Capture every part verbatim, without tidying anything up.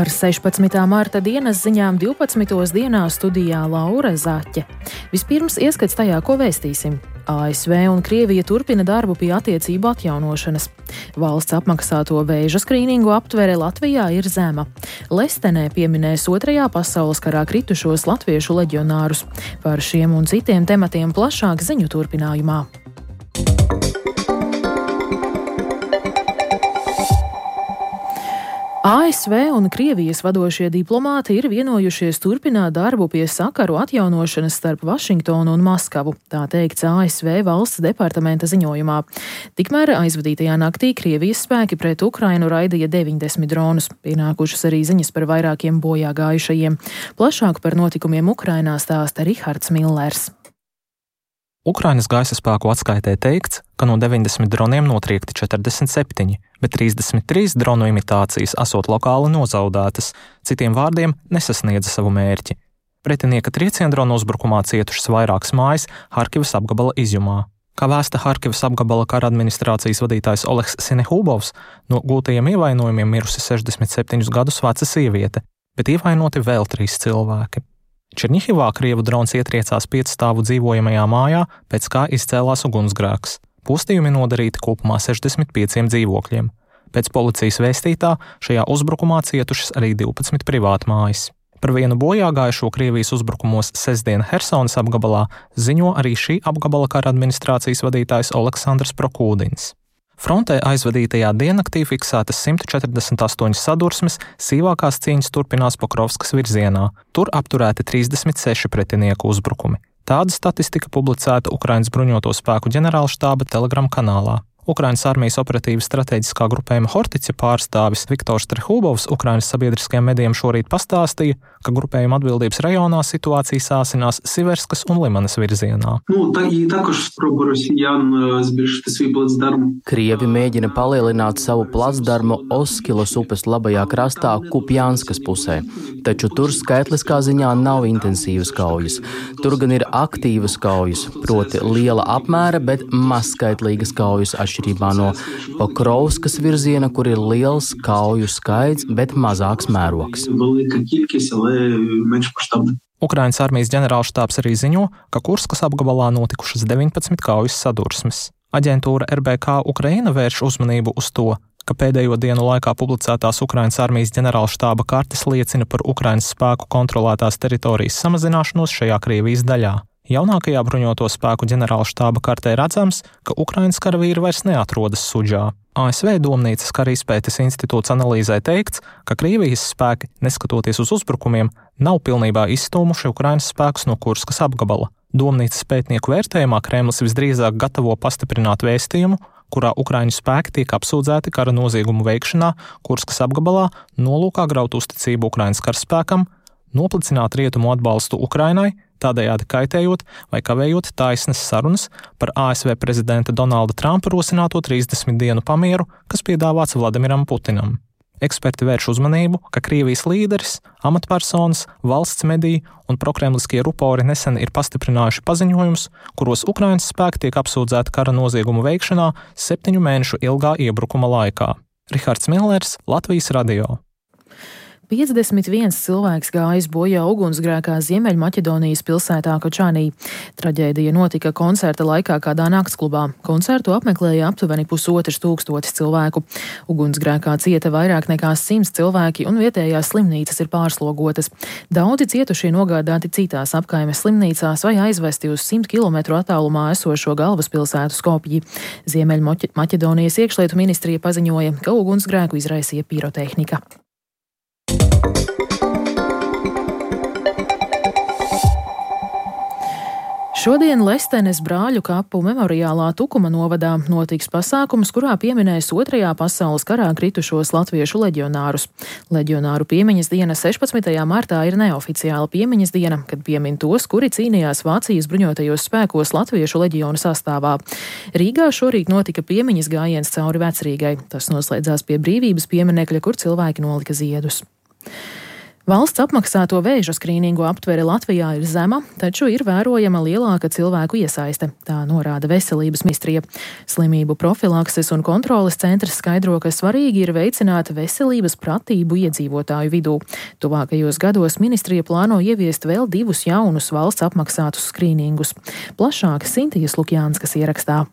Ar sešpadsmitā marta dienas ziņām divpadsmitos dienā studijā Laura Zaķe. Vispirms ieskats tajā, ko vēstīsim. A S V un Krievija turpina darbu pie attiecību atjaunošanas. Valsts apmaksāto vēža skrīningu aptvere Latvijā ir zema. Lestenē pieminēs otrajā pasaules karā kritušos latviešu leģionārus. Par šiem un citiem tematiem plašāk ziņu turpinājumā. A S V un Krievijas vadošie diplomāti ir vienojušies turpināt darbu pie sakaru atjaunošanas starp Vašingtonu un Maskavu, tā teikts A S V valsts departamenta ziņojumā. Tikmēr aizvadītajā naktī Krievijas spēki pret Ukrainu raidīja deviņdesmit dronus, pienākušas arī ziņas par vairākiem bojā gājušajiem. Plašāk par notikumiem Ukrainā stāsta Rihards Millers. Ukrainas gaisa spēku atskaitē teikts, ka no deviņdesmit droniem notriekti četrdesmit septiņi, bet trīsdesmit trīs dronu imitācijas esot lokāli nozaudētas, citiem vārdiem nesasniedza savu mērķi. Pretinieka trieciendronu uzbrukumā cietušas vairākas mājas Harkivas apgabala izjumā. Kā vēsta Harkivas apgabala kara administrācijas vadītājs Oleks Sinehubovs, no gūtajiem ievainojumiem mirusi sešdesmit septiņus gadus veca sieviete, bet ievainoti vēl trīs cilvēki. Černihivā Krievu drons ietriecās piecstāvu dzīvojamajā mājā, pēc kā izcēlās ugunsgrēks. Postījumi nodarīti kopumā sešdesmit pieciem dzīvokļiem. Pēc policijas vēstītā šajā uzbrukumā cietušas arī divpadsmit privātmājas. Par vienu bojāgājušo Krievijas uzbrukumos sestdien Hersonas apgabalā ziņo arī šī apgabala kara administrācijas vadītājs Oleksandrs Prokūdins. Frontē aizvadītajā diennaktī fiksētas simt četrdesmit astoņas sadursmes, sīvākās cīņas turpinās Pokrovskas virzienā. Tur apturēti trīsdesmit seši pretinieku uzbrukumi. Tāda statistika publicēta Ukrainas bruņoto spēku ģenerālštāba Telegram kanālā. Ukrainas armijas operatīvas strateģiskā grupējuma Hortice pārstāvis Viktors Trehubovs Ukrainas sabiedriskajiem medijiem šorīt pastāstīja, ka grupējuma atbildības rajonā situācija sāsinās Siverskas un Limanas virzienā. Nu, tā, Krievi mēģina palielināt savu placdarmu Oskilos upes labajā krastā Kupjanskas pusē, taču tur skaitliskā ziņā nav intensīvas kaujas. Tur gan ir aktīvas kaujas, proti liela apmēra, bet mazskaitlīgas kaujas atšķirībā no Pokrovskas virziena, kur ir liels kauju skaits, bet mazāks mērogs. Ukrainas armijas ģenerālštābs arī ziņo, ka Kurskas apgabalā notikušas deviņpadsmit kaujas sadursmes. Aģentūra R B K Ukraina vērš uzmanību uz to, ka pēdējo dienu laikā publicētās Ukrainas armijas ģenerālštāba kartes liecina par Ukrainas spēku kontrolētās teritorijas samazināšanos šajā Krievijas daļā. Jaunākajā bruņoto spēku ģenerālštāba kartē redzams, ka Ukrainas karavīri vairs neatrodas Sudžā. A S V Domnīcas kara izpētes institūts analīzē teikts, ka Krievijas spēki, neskatoties uz uzbrukumiem, nav pilnībā izstūmuši Ukrainas spēkus no Kurskas apgabala. Domnīcas pētnieku vērtējumā Kremlis visdrīzāk gatavo pastiprināt vēstījumu, kurā Ukraiņu spēki tiek apsūdzēti kara noziegumu veikšanā Kurskas apgabalā, nolūkā graut uzticību Ukrainas karaspēkam, noplicināt rietumu atbalstu Ukrainai, tādējādi kaitējot vai kavējot taisnas sarunas par A S V prezidenta Donalda Trumpa rosināto trīsdesmit dienu pamieru, kas piedāvāts Vladimiram Putinam. Eksperti vērš uzmanību, ka Krievijas līderis, amatpersonas, valsts mediji un prokremliskie rupori nesen ir pastiprinājuši paziņojumus, kuros Ukrainas spēki tiek apsūdzēti kara noziegumu veikšanā septiņu mēnešu ilgā iebrukuma laikā. Rihards Millers, Latvijas radio. piecdesmit viens cilvēks gājis bojā ugunsgrēkā Ziemeļmaķedonijas pilsētā Kočanī. Traģēdija notika koncerta laikā kādā naktsklubā. Koncertu apmeklēja aptuveni pusotrs tūkstotis cilvēku. Ugunsgrēkā cieta vairāk nekā simts cilvēki un vietējās slimnīcas ir pārslogotas. Daudzi cietušie nogādāti citās apkaimes slimnīcās vai aizvesti uz simt kilometru attālumā esošo galvaspilsētu Skopji. Ziemeļmaķedonijas iekšlietu ministrija paziņoja, ka ugunsgrēku izraisīja pirotehnika. Šodien Lestenes brāļu kapu memoriālā Tukuma novadā notiks pasākums, kurā pieminēs otrajā pasaules karā kritušos latviešu leģionārus. Leģionāru piemiņas diena sešpadsmitajā martā ir neoficiāla piemiņas diena, kad piemin tos, kuri cīnījās Vācijas bruņotajos spēkos latviešu leģionu sastāvā. Rīgā šorīt notika piemiņas gājiens cauri Vecrīgai. Tas noslēdzās pie Brīvības pieminekļa, kur cilvēki nolika ziedus. Valsts apmaksāto vēža skrīningu aptvere Latvijā ir zema, taču ir vērojama lielāka cilvēku iesaiste, tā norāda Veselības ministrija. Slimību profilakses un kontroles centrs skaidro, ka svarīgi ir veicināt veselības pratību iedzīvotāju vidū. Tuvākajos gados ministrija plāno ieviest vēl divus jaunus valsts apmaksātus skrīningus. Plašāk Sintijas Lukjānskas ierakstā.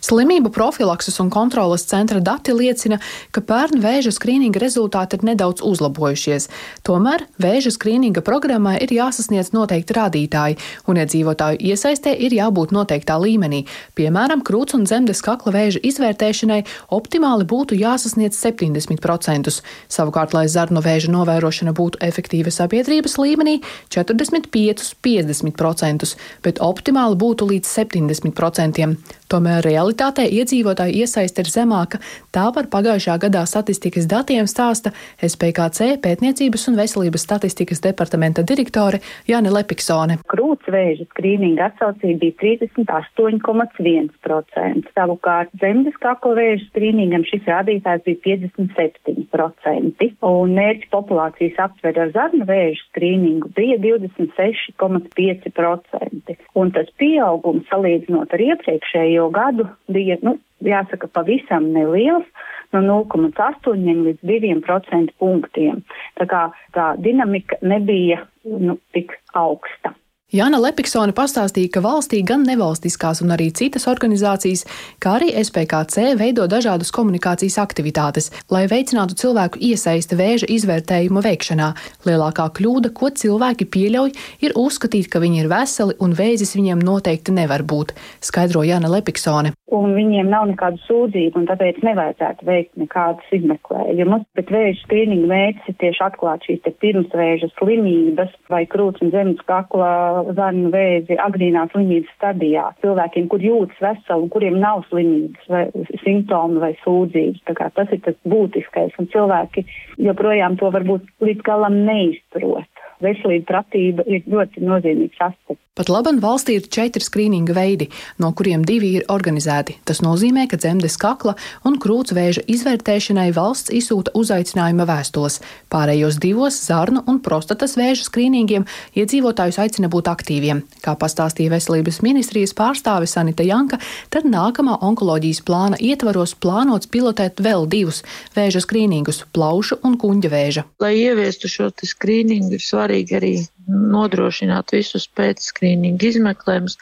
Slimību profilakses un kontroles centra dati liecina, ka pērn vēža skrīninga rezultāti ir nedaudz uzlabojušies. Tomēr vēža skrīninga programmai ir jāsasniedz noteikti rādītāji, un iedzīvotāju iesaistē ir jābūt noteiktā līmenī. Piemēram, krūts un dzemdes kakla vēža izvērtēšanai optimāli būtu jāsasniedz septiņdesmit procentus. Savukārt, lai zarnu vēža novērošana būtu efektīva sabiedrības līmenī, četrdesmit pieci līdz piecdesmit procentus, bet optimāli būtu līdz septiņdesmit procentiem. Tomēr realitātē iedzīvotāju iesaiste ir zemāka, tā par pagājušā gadā statistikas datiem stāsta S P K C pētniecības un veselības statistikas departamenta direktore Jāne Lepiksone. Krūts vēža skrīninga atsaucība bija trīsdesmit astoņi komats viens procents. Savukārt dzemdes kakla vēža skrīningam šis rādītājs bija piecdesmit septiņi procenti. Un mērķa populācijas aptvere ar zarnu vēža skrīningu bija divdesmit seši komats pieci procenti. Un tas pieaugums salīdzinot ar iepriekšējo gadu bija, nu, jāsaka, pavisam neliels, no nulle komats astoņi līdz diviem procentu punktiem. Tā kā tā dinamika nebija, nu, tik augsta. Jāna Lepiksone pastāstīja, ka valstī gan nevalstiskās un arī citas organizācijas, kā arī S P K C veido dažādas komunikācijas aktivitātes, lai veicinātu cilvēku iesaisti vēža izvērtējuma veikšanā. Lielākā kļūda, ko cilvēki pieļauj, ir uzskatīt, ka viņi ir veseli un vēzis viņiem noteikti nevar būt, skaidro Jāna Lepiksone. Un viņiem nav nekādu sūdzību, un tāpēc nevajadzētu veikt nekādus izmeklējumus. Bet vēža skrīninga mērķis ir tieši atklāt šīs te pirmsvēža slimības vai krūts un dzemdes kakla zarnu vēzi agrīnā slimības stadijā. Cilvēkiem, kur jūtas veseli un kuriem nav slimības vai simptomi vai sūdzības. Tā kā tas ir tas būtiskais, un cilvēki joprojām to varbūt līdz galam neizprot. Veselība pratība ir ļoti nozīmīgs aspekts. Pat laban valstī ir četri skrīninga veidi, no kuriem divi ir organizēti. Tas nozīmē, ka dzemdes kakla un krūts vēža izvērtēšanai valsts izsūta uzaicinājuma vēstules. Pārējos divos zarnu un prostatas vēža skrīningiem iedzīvotājus aicina būt aktīviem. Kā pastāstīja Veselības ministrijas pārstāve Sanita Janka, tad nākamā onkoloģijas plāna ietvaros plānots pilotēt vēl divus vēža skrīningus – plaušu un kuņģa vēža. Lai ieviestu šo skrīningu, ir svarīgi arī nodrošināt visus pēcskrīningu izmeklējumus,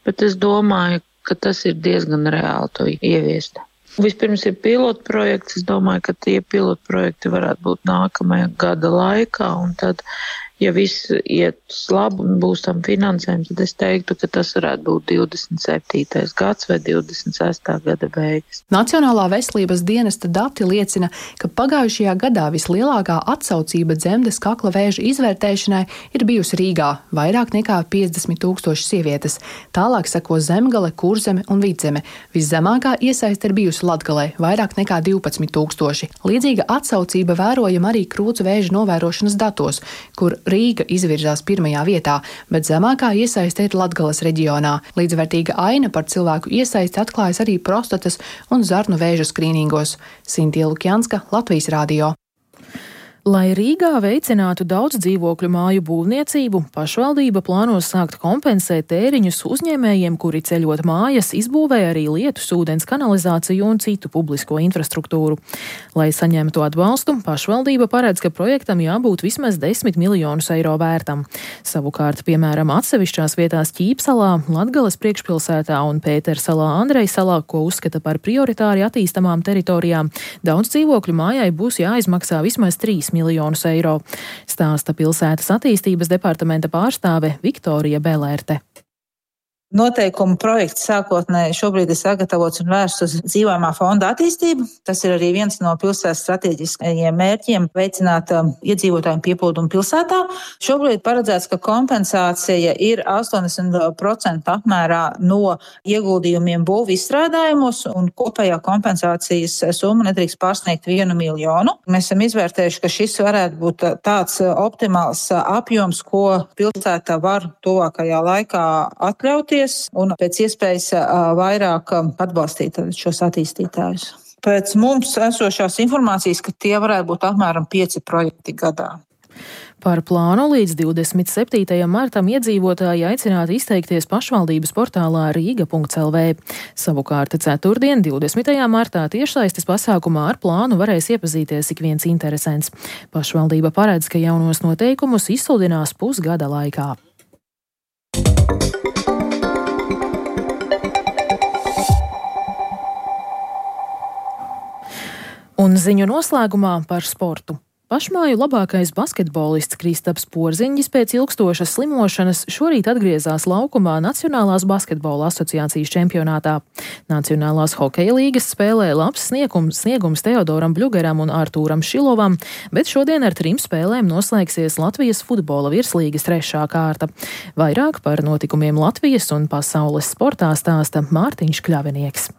bet es domāju, ka tas ir diezgan reāli to ieviest. Vispirms ir pilotprojekts, es domāju, ka tie pilotprojekti varētu būt nākamajā gada laikā, un tad, ja viss iet labi un būs tam finansējums, tad es teiktu, ka tas varētu būt divdesmit septītais gads vai divdesmit sestā gada beigas. Nacionālā veselības dienesta dati liecina, ka pagājušajā gadā vislielākā atsaucība dzemdes kakla vēža izvērtēšanai ir bijusi Rīgā – vairāk nekā piecdesmit tūkstoši sievietes. Tālāk seko Zemgale, Kurzeme un Vidzeme. Viszemākā iesaiste ir bijusi Latgalē – vairāk nekā divpadsmit tūkstoši. Līdzīga atsaucība vērojama arī krūts vēža novērošanas datos, kur Rīga izvirzās pirmajā vietā, bet zemākā iesaiste ir Latgales reģionā. Līdzvērtīga aina par cilvēku iesaisti atklājas arī prostatas un zarnu vēža skrīningos. Sintija Lukjanska, Latvijas radio. Lai Rīgā veicinātu daudz dzīvokļu māju būvniecību, pašvaldība plāno sākt kompensēt tēriņus uzņēmējiem, kuri ceļot mājas izbūvē arī lietus, ūdens kanalizāciju un citu publisko infrastruktūru. Lai saņemtu atbalstu, pašvaldība paredz, ka projektam jābūt vismaz desmit miljonus eiro vērtam. Savukārt, piemēram, atsevišķās vietās Ķīpsalā, Latgales priekšpilsētā un Pētersalā, Andrejsalā, ko uzskata par prioritāri attīstamām teritorijām, daudz dzīvokļu mājai būs jāizmaksā vismaz trīs miljonus eiro, stāsta pilsētas attīstības departamenta pārstāve Viktorija Belērte. Noteikumu projekts sākotnēji šobrīd ir sagatavots un vērsts uz dzīvojamā fonda attīstību. Tas ir arī viens no pilsētas strateģiskajiem mērķiem – veicināt um, iedzīvotāju pieplūdumu pilsētā. Šobrīd paredzēts, ka kompensācija ir astoņdesmit procenti apmērā no ieguldījumiem būvu izstrādājumos, un kopējā kompensācijas summa nedrīkst pārsniegt vienu miljonu. Mēs esam izvērtējuši, ka šis varētu būt tāds optimāls apjoms, ko pilsēta var tuvākajā laikā atļauties un pēc iespējas vairāk atbalstīt šos attīstītājus. Pēc mums esošās informācijas, ka tie varētu būt apmēram pieci projekti gadā. Par plānu līdz divdesmit septītajam martam iedzīvotāji aicināti izteikties pašvaldības portālā rīga punkts el vē. Savukārt ceturtdien, divdesmitajā martā tiešsaistes pasākumā ar plānu varēs iepazīties ik viens interesents. Pašvaldība paredz, ka jaunos noteikumus izsludinās pusgada laikā. Un ziņu noslēgumā par sportu. Pašmāju labākais basketbolists Kristaps Porziņģis pēc ilgstošas slimošanas šorīt atgriezās laukumā Nacionālās basketbola asociācijas čempionātā. Nacionālās hokeja līgas spēlē labs sniegums, sniegums Teodoram Bļugeram un Artūram Šilovam, bet šodien ar trim spēlēm noslēgsies Latvijas futbola virslīgas trešā kārta. Vairāk par notikumiem Latvijas un pasaules sportā stāsta Mārtiņš Kļavinieks.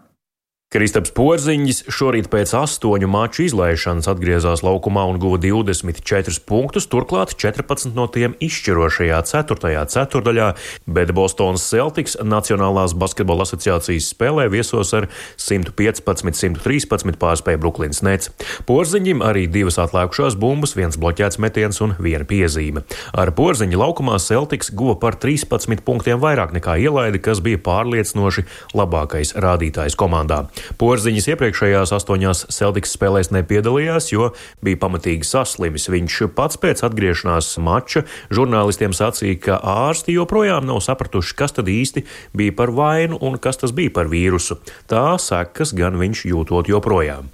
Kristaps Porziņģis šorīt pēc astoņu maču izlaišanas atgriezās laukumā un guva divdesmit četrus punktus, turklāt četrpadsmit no tiem izšķirošajā ceturtajā ceturdaļā, bet Bostonas Celtics Nacionālās basketbola asociācijas spēlē viesos ar simt piecpadsmit simt trīspadsmit pārspēja Brooklynas Nets. Porziņģim arī divas atlēkušās bumbas, viens bloķēts metiens un viena piezīme. Ar Porziņģa laukumā Celtics guva par trīspadsmit punktiem vairāk nekā ielaida, kas bija pārliecinoši labākais rādītājs komandā. Porziņģis iepriekšējās astoņās Celtics spēlēs nepiedalījās, jo bija pamatīgi saslimis. Viņš pats pēc atgriešanās mača žurnālistiem sacīja, ka ārsti joprojām nav sapratuši, kas tad īsti bija par vainu un kas tas bija par vīrusu. Tā sekas gan viņš jūtot joprojām.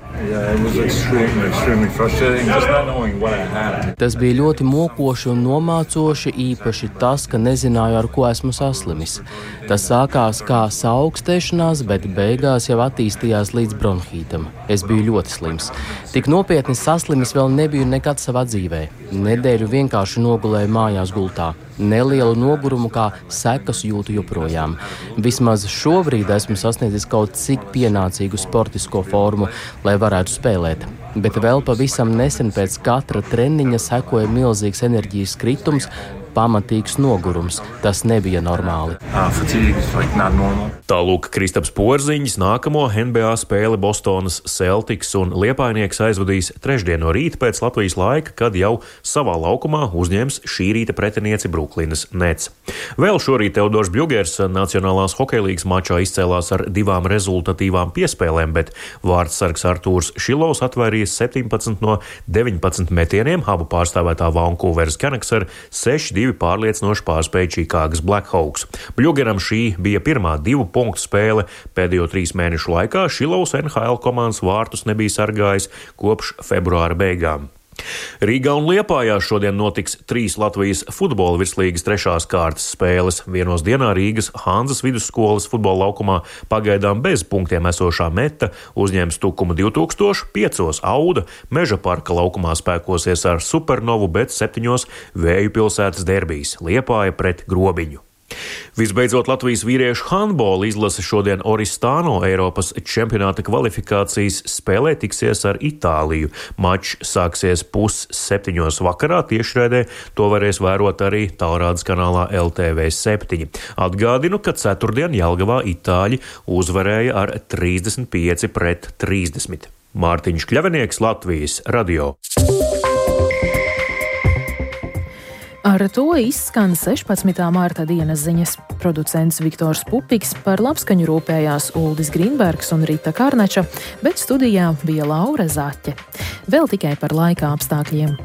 Tas bija ļoti mokoši un nomācoši, īpaši tas, ka nezināju, ar ko esmu saslimis. Tas sākās kā saaugstēšanās, bet beigās jau attīstījās līdz bronhītam. Es biju ļoti slims. Tik nopietni saslimis vēl nebiju nekad savā dzīvē. Nedēļu vienkārši nogulēju mājās gultā. Nelielu nogurumu kā sekas jūtu joprojām. Vismaz šobrīd esmu sasniedzis kaut cik pienācīgu sportisko formu, lai varētu spēlēt. Bet vēl pavisam nesen pēc katra treniņa sekoja milzīgs enerģijas kritums, pamatīgs nogurums. Tas nebija normāli. Tālūk Kristaps Porziņģis nākamo N B A spēli Bostonas Celtics un Liepainieks aizvadīs trešdien no rīta pēc Latvijas laika, kad jau savā laukumā uzņems šī rīta pretinieci Brooklynas Nets. Vēl šorīt Teodors Bļugers Nacionālās hokeja līgas mačā izcēlās ar divām rezultatīvām piespēlēm, bet vārdsargs Artūrs Šilovs atvairījis septiņpadsmit no deviņpadsmit metieniem, abu pārstāvētā Vancouveras Canucks ar seši divi pārliecinoši pārspēja Čikāgas Blackhawks. Bļugeram šī bija pirmā divu punktu spēle. Pēdējo trīs mēnešu laikā Šilovs N H L komandas vārtus nebija sargājis kopš februāra beigām. Rīgā un Liepājā šodien notiks trīs Latvijas futbola virslīgas trešās kārtas spēles. Vienos dienā Rīgas Hanzas vidusskolas futbola laukumā pagaidām bez punktiem esošā Meta uzņems Tukumu divi tūkstoši, piecos Auda Meža parka laukumā spēkosies ar Supernovu, bet septiņos Vēju pilsētas derbijs Liepāja pret Grobiņu. Visbeidzot, Latvijas vīriešu handbola izlase šodien Oristano Eiropas čempionāta kvalifikācijas spēlē tiksies ar Itāliju. Mačs sāksies pus septiņos vakarā, tiešraidē to varēs vērot arī tālrādes kanālā L T V septiņi. Atgādinu, ka ceturtdien Jelgavā itāļi uzvarēja ar trīsdesmit pieci pret trīsdesmit. Mārtiņš Kļavinieks, Latvijas radio. Ar to izskan sešpadsmitā marta dienas ziņas. Producents Viktors Pupiks, par labskaņu rūpējās Uldis Grīnbergs un Rita Karneča, bet studijā bija Laura Zaķe. Vēl tikai par laika apstākļiem.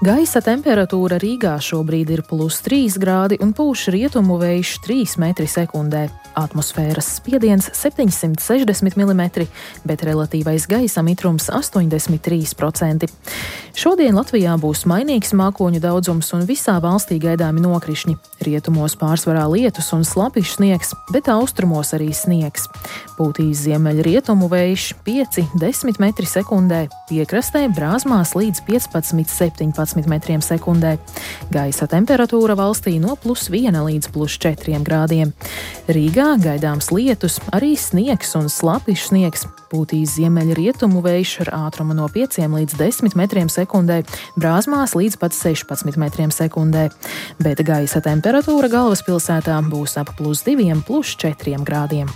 Gaisa temperatūra Rīgā šobrīd ir plus trīs grādi un pūš rietumu vējš trīs metri sekundē. Atmosfēras spiediens septiņsimt sešdesmit milimetri, bet relatīvais gaisa mitrums astoņdesmit trīs procenti. Šodien Latvijā būs mainīgs mākoņu daudzums un visā valstī gaidāmi nokrišņi. Rietumos pārsvarā lietus un slapjš sniegs, bet austrumos arī sniegs. Pūtīs ziemeļrietumu vējš pieci līdz desmit metri sekundē, piekrastē brāzmās līdz piecpadsmit septiņpadsmit metriem sekundē. Gaisa temperatūra valstī no plus viena līdz plus četriem grādiem. Rīgā Rīgā gaidāms lietus, arī sniegs un slapjš sniegs. Pūtīs ziemeļrietumu vējš ar ātrumu no pieciem līdz desmit metriem sekundē, Brāzmās līdz pat sešpadsmit metriem sekundē. Bet gaisa temperatūra galvaspilsētā būs ap plus diviem, plus četriem grādiem.